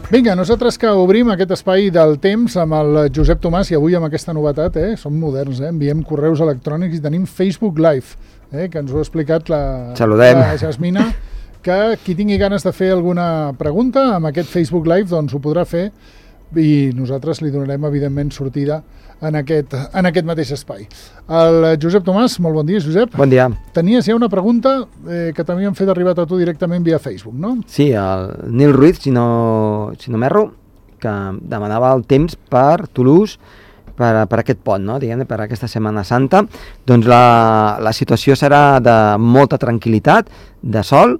Vinga, nosaltres que obrim aquest espai del temps amb el Josep Tomàs i avui amb aquesta novetat, som moderns, enviem correus electrònics i tenim Facebook Live, que ens ho ha explicat la Jasmina, que qui tingui ganes de fer alguna pregunta amb aquest Facebook Live doncs ho podrà fer i nosaltres li donarem evidentment sortida en aquest mateix espai. El Josep Tomàs, molt bon dia, Josep. Bon dia. Tenies ja una pregunta que t'havien fet arribar a tu directament via Facebook, no? Sí, el Nil Ruiz, si no m'erro, que demanava el temps per Toulouse per aquest pont, no? Diguem-ne, per aquesta Setmana Santa. Doncs la situació serà de molta tranquil·litat, de sol,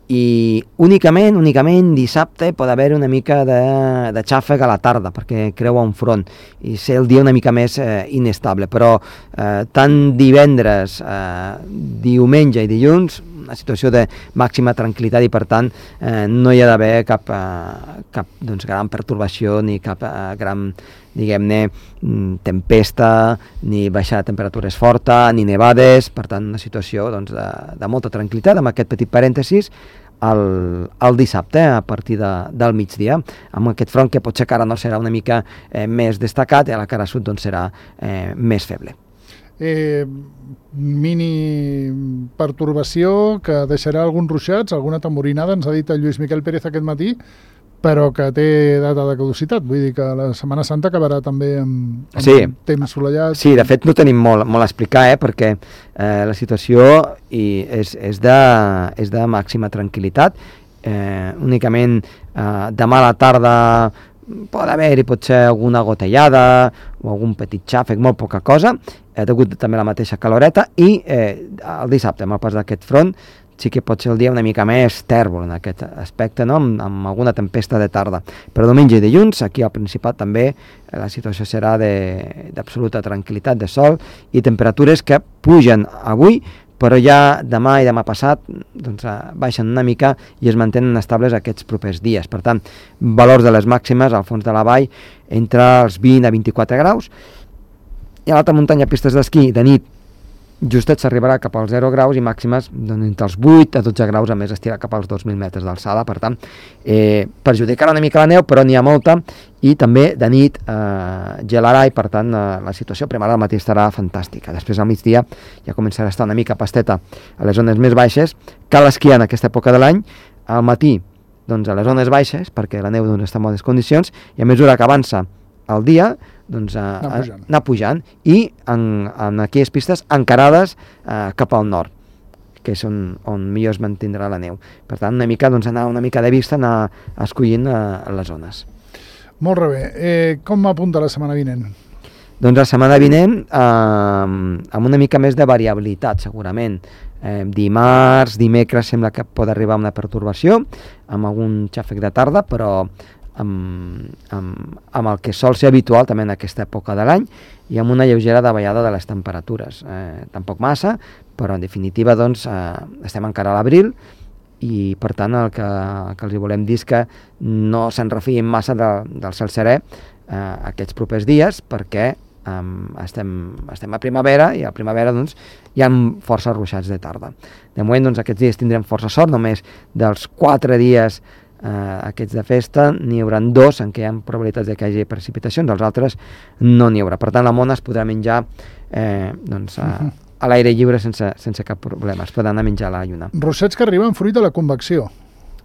i únicament dissabte pot haver una mica de xàfec a la tarda perquè creua un front i ser el dia una mica més inestable, però tant divendres, diumenge i dilluns una situació de màxima tranquil·litat i per tant no hi ha d'haver cap gran pertorbació ni cap gran, diguem-ne, tempesta, ni baixada de temperatures forta, ni nevades, per tant una situació de molta tranquil·litat, amb aquest petit parèntesis, el dissabte a partir del migdia, amb aquest front que potser encara no serà una mica més destacat i a la cara sud doncs serà més feble. Mini pertorbació que deixarà alguns ruixats, alguna tamborinada, ens ha dit el Lluís Miquel Pérez aquest matí, però que té data de caducitat, vull dir que la Setmana Santa acabarà també amb temps solellat. Sí, de fet no tenim molt a explicar, perquè la situació és de màxima tranquil·litat. Únicament demà a la tarda pot haver-hi potser alguna gotellada o algun petit xàfec, molt poca cosa, degut també a la mateixa caloreta, i el dissabte, amb el pas d'aquest front, sí que pot ser el dia una mica més tèrbol en aquest aspecte, no? Amb alguna tempesta de tarda. Però diumenge i dilluns, aquí al Principat també, la situació serà d'absoluta tranquil·litat, de sol, i temperatures que pugen avui, però ja demà i demà passat baixen una mica i es mantenen estables aquests propers dies. Per tant, valors de les màximes al fons de la vall entre els 20 a 24 graus, i a l'alta muntanya, pistes d'esquí, de nit, justet s'arribarà cap als 0 graus i màximes entre els 8 a 12 graus, a més estirà cap als 2.000 metres d'alçada, per tant perjudicarà una mica la neu, però n'hi ha molta, i també de nit gelarà i per tant la situació a primera del matí estarà fantàstica. Després al migdia ja començarà a estar una mica pasteta a les zones més baixes. Cal esquiar en aquesta època de l'any, al matí a les zones baixes perquè la neu està en bones condicions, i a mesura que avança el dia anar pujant i en aquelles pistes encarades cap al nord, que és on millor es mantindrà la neu. Per tant, anar una mica de vista, anar escollint les zones. Molt bé. Com apunta la setmana vinent? Doncs la setmana vinent amb una mica més de variabilitat, segurament. Dimarts, dimecres sembla que pot arribar una pertorbació amb algun xàfec de tarda, però amb el que sol ser habitual també en aquesta època de l'any, i amb una lleugera davallada de les temperatures. Tampoc massa, però en definitiva estem encara a l'abril, i per tant el que els volem dir és que no se'n refiïn massa del cel serè aquests propers dies, perquè estem a primavera, i a primavera hi ha força ruixats de tarda. De moment aquests dies tindrem força sort, només dels 4 dies aquests de festa n'hi haurà 2 en què hi ha probabilitats de que hi hagi precipitacions, els altres no n'hi haurà. Per tant, la mona es podrà menjar a l'aire lliure sense cap problema, es podrà anar a menjar a la lluna. Ruixats que arriben fruit de la convecció.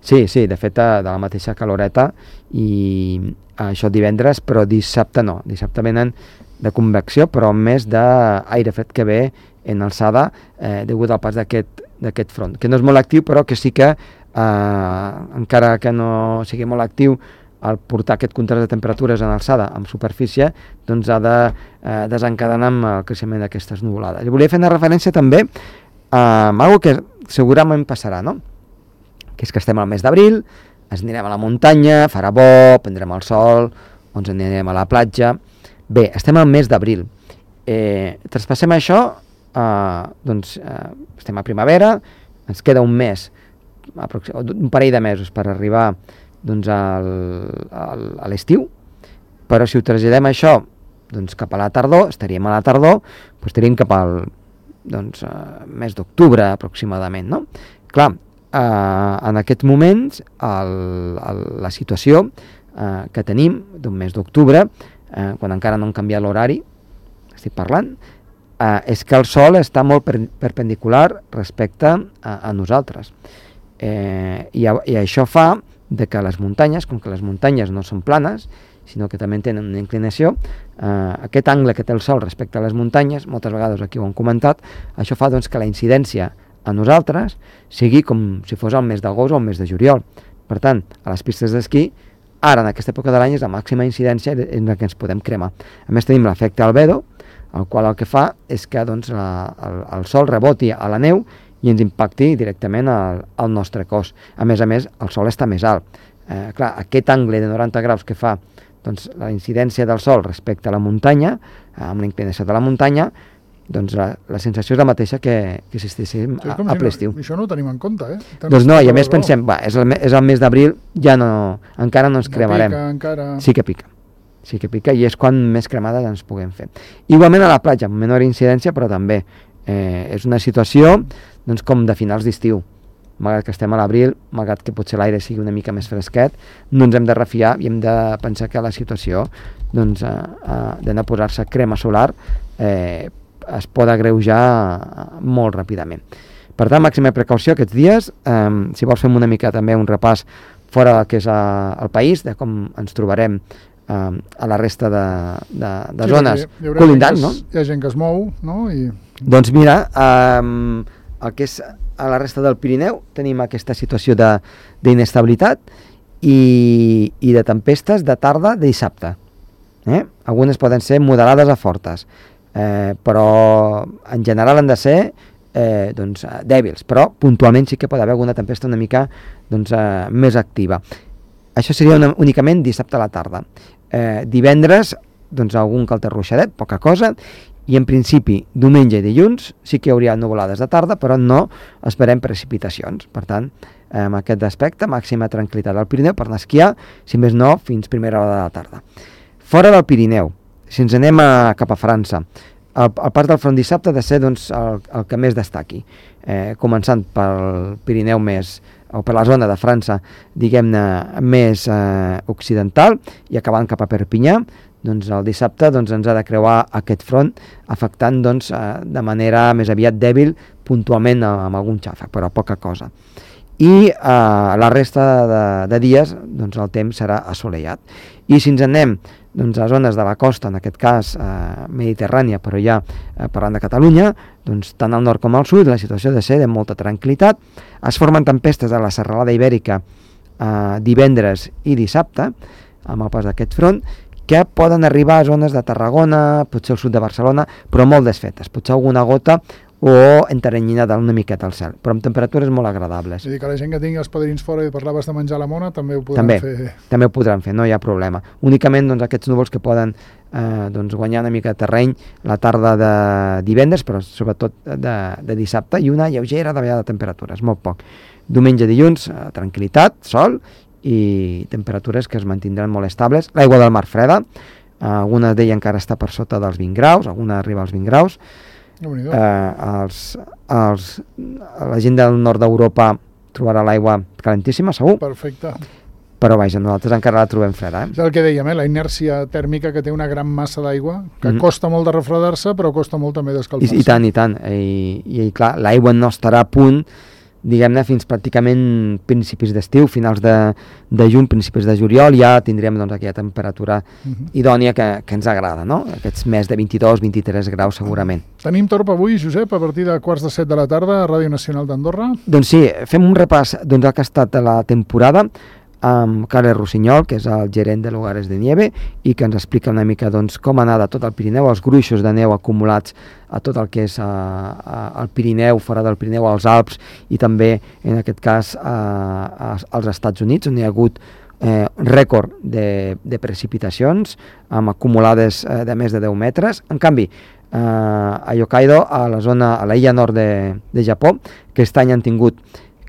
Sí, de fet, de la mateixa caloreta, i això divendres, però dissabte no. Dissabte venen de convecció, però més d'aire fred que ve en alçada degut al pas d'aquest front, que no és molt actiu, però que sí que encara que no sigui molt actiu, al portar aquest contrast de temperatures en alçada amb superfície, ha de desencadenar amb el creixement d'aquestes nuvolades. I volia fer una referència també a algo que segurament passarà, no? Que és que estem al mes d'abril, ens anirem a la muntanya, farà bo, prendrem el sol, ens anirem a la platja. Bé, estem al mes d'abril. Traspassem això, estem a primavera, ens queda un mes, un parell de mesos per arribar a l'estiu, però si ho traslladem això cap a la tardor, estaríem a la tardor, estaríem cap al mes d'octubre aproximadament, no? Clar, en aquests moments la situació que tenim, d'un mes d'octubre, quan encara no han canviat l'horari, estic parlant, és que el Sol està molt perpendicular respecte a nosaltres. I això fa de que les muntanyes, com que les muntanyes no són planes, sinó que també tenen una inclinació, aquest angle que té el Sol respecte a les muntanyes, moltes vegades aquí ho hem comentat, això fa doncs, que la incidència a nosaltres sigui com si fos el mes d'agost o el mes de juliol. Per tant, a les pistes d'esquí, ara en aquesta època de l'any és la màxima incidència en la que ens podem cremar. A més tenim l'efecte albedo, el qual el que fa és que doncs, el Sol reboti a la neu i ens impacti directament al nostre cos. A més, el Sol està més alt. Clar, aquest angle de 90 graus que fa doncs, la incidència del Sol respecte a la muntanya, amb la inclinació de la muntanya, doncs la sensació és la mateixa que si estiguéssim a ple estiu. Això no ho tenim en compte, Doncs no, i a més pensem, és el mes d'abril, encara no ens cremarem. Sí que pica i és quan més cremades ens puguem fer. Igualment a la platja, amb menor incidència, però també és una situació doncs, com de finals d'estiu. Malgrat que estem a l'abril, malgrat que potser l'aire sigui una mica més fresquet, no ens hem de refiar i hem de pensar que la situació doncs, d'anar a posar-se crema solar es pot agreujar molt ràpidament. Per tant, màxima precaució aquests dies. Si vols fem una mica també un repàs fora del que és el país, de com ens trobarem a la resta de zones colindants, no? Hi ha gent que es mou, no? Doncs mira, el que és a la resta del Pirineu tenim aquesta situació d'inestabilitat i de tempestes de tarda de dissabte. Algunes poden ser moderades a fortes, però en general han de ser doncs, dèbils, però puntualment sí que pot haver alguna tempesta una mica doncs, més activa. Això seria únicament dissabte a la tarda. Divendres, doncs, algun calter ruixadet, poca cosa, i en principi diumenge i dilluns sí que hi hauria nuvolades de tarda, però no esperem precipitacions. Per tant, amb aquest aspecte, màxima tranquil·litat al Pirineu per anar a esquiar, si més no, fins primera hora de la tarda. Fora del Pirineu, si ens anem cap a França, el pas del front dissabte ha de ser doncs, el que més destaqui, començant pel Pirineu o per la zona de França, diguem-ne, més occidental, i acabant cap a Perpinyà. Doncs el dissabte ens ha de creuar aquest front, afectant doncs, de manera més aviat dèbil, puntualment amb algun xàfec, però poca cosa. I la resta de dies doncs, el temps serà assolellat. I si ens anem doncs, a zones de la costa, en aquest cas mediterrània, però ja parlant de Catalunya, doncs, tant al nord com al sud, la situació ha de ser de molta tranquil·litat. Es formen tempestes a la serralada ibèrica divendres i dissabte, amb el pas d'aquest front, que poden arribar a zones de Tarragona, potser al sud de Barcelona, però molt desfetes, potser alguna gota o enteranyinada una miqueta al cel, però amb temperatures molt agradables. És a dir, que la gent que tingui els padrins fora i parlaves de menjar la mona també ho podran fer. També ho podran fer, no hi ha problema. Únicament doncs, aquests núvols que poden doncs, guanyar una mica de terreny la tarda de divendres, però sobretot de dissabte, i una lleugera davallada de temperatures, molt poc. Diumenge, dilluns, tranquil·litat, sol, i temperatures que es mantindran molt estables. L'aigua del mar freda, alguna d'ella encara està per sota dels 20 graus, alguna arriba als 20 graus. La gent del nord d'Europa trobarà l'aigua calentíssima, segur. Perfecte. Però vaja, nosaltres encara la trobem freda. És el que dèiem, la inèrcia tèrmica que té una gran massa d'aigua, que costa molt de refredar-se, però costa molt també d'escalfar-se. I tant, i tant. I clar, l'aigua no estarà a punt, diguem-ne, fins pràcticament principis d'estiu, finals de juny, principis de juliol, ja tindrem doncs, aquella temperatura idònia que ens agrada, no? Aquests més de 22-23 graus segurament. Tenim torb avui, Josep, a partir de 6:45 de la tarda a Ràdio Nacional d'Andorra? Doncs sí, fem un repàs del que ha estat la temporada amb Carles Rossinyol, que és el gerent de Lugares de Nieve, i que ens explica una mica doncs, com anar de tot el Pirineu, els gruixos de neu acumulats a tot el que és el Pirineu, fora del Pirineu, als Alps, i també, en aquest cas, als Estats Units, on hi ha hagut rècord de precipitacions, amb acumulades de més de 10 metres. En canvi, a Hokkaido, a l'illa nord de Japó, que aquest any han tingut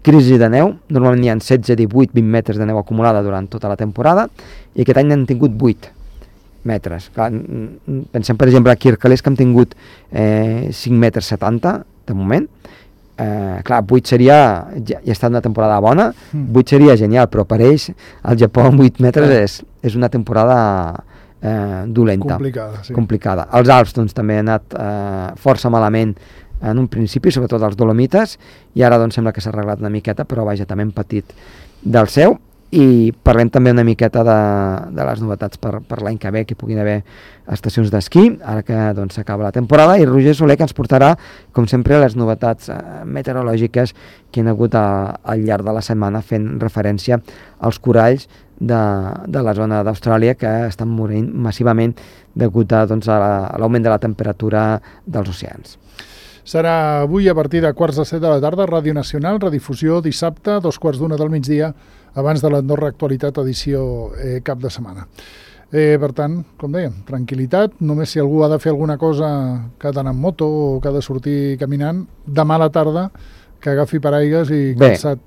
crisi de neu, normalment hi ha 16, 18, 20 metres de neu acumulada durant tota la temporada, i aquest any n'han tingut 8 metres. Clar, pensem, per exemple, aquí a Arcalés, que han tingut 5 metres 70, de moment, clar, 8 seria, ja ha estat una temporada bona, 8 seria genial, però per ells el Japó amb 8 metres és una temporada dolenta, complicada. Els Alps doncs, també han anat força malament en un principi, sobretot els Dolomites, i ara doncs, sembla que s'ha arreglat una miqueta, però vaja, també hem patit del seu. I parlem també una miqueta de les novetats per l'any que ve, que puguin haver estacions d'esquí, ara que doncs, s'acaba la temporada, i Roger Soler, que ens portarà, com sempre, les novetats meteorològiques que hi ha hagut al llarg de la setmana, fent referència als coralls de la zona d'Austràlia, que estan morint massivament degut a l'augment de la temperatura dels oceans. Serà avui a partir de 7:15 de la tarda, Ràdio Nacional, redifusió dissabte, 2:15 del migdia, abans de l'Andorra Actualitat, edició cap de setmana. Per tant, com dèiem, tranquil·litat, només si algú ha de fer alguna cosa que ha d'anar en moto o que ha de sortir caminant, demà a la tarda, que agafi paraigues i calçat.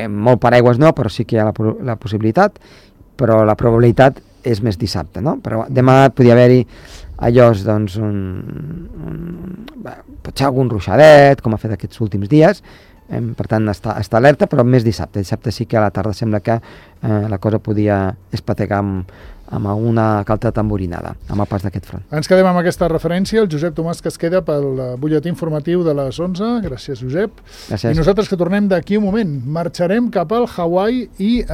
Molt paraigües no, però sí que hi ha la possibilitat, però la probabilitat és més dissabte, no? Però demà podria haver-hi allò, doncs, potser algun ruixadet, com ha fet aquests últims dies, per tant està alerta, però més dissabte. Dissabte sí que a la tarda sembla que la cosa podia espategar amb alguna calta tamborinada, amb el pas d'aquest front. Ens quedem amb aquesta referència, el Josep Tomàs, que es queda pel butlletí informatiu de les 11. Gràcies, Josep. Gràcies. I nosaltres, que tornem d'aquí un moment, marxarem cap al Hawaii i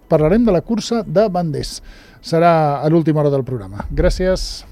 parlarem de la cursa de Banders. Serà a l'última hora del programa. Gràcies.